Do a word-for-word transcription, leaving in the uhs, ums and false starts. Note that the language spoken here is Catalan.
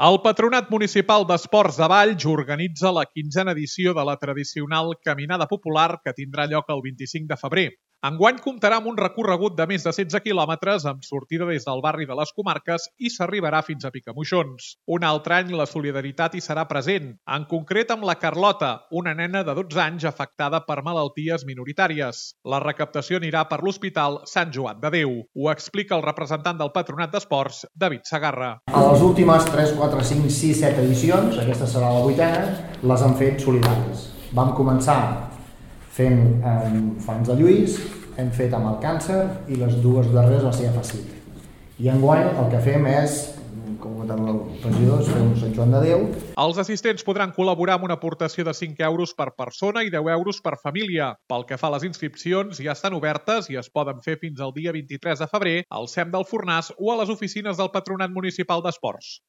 El Patronat Municipal d'Esports de Valls organitza la quinzena edició de la tradicional Caminada Popular que tindrà lloc el vint-i-cinc de febrer. Enguany comptarà amb un recorregut de més de setze quilòmetres amb sortida des del barri de les Comarques i s'arribarà fins a Picamoixons. Un altre any la solidaritat hi serà present, en concret amb la Carlota, una nena de dotze anys afectada per malalties minoritàries. La recaptació anirà per l'Hospital Sant Joan de Déu. Ho explica el representant del Patronat d'Esports, David Segarra. A les últimes tres, quatre, cinc, sis, set edicions, aquesta serà la vuitena, les han fet solidàries. Vam començar fent eh, Fans de Lluís, hem fet amb el càncer i les dues darreres va ser a Facit. I enguany el que fem és, com ha comentat el regidor, fer un Sant Joan de Déu. Els assistents podran col·laborar amb una aportació de cinc euros per persona i deu euros per família. Pel que fa a les inscripcions, ja estan obertes i es poden fer fins al dia vint-i-tres de febrer al C E M del Fornàs o a les oficines del Patronat Municipal d'Esports.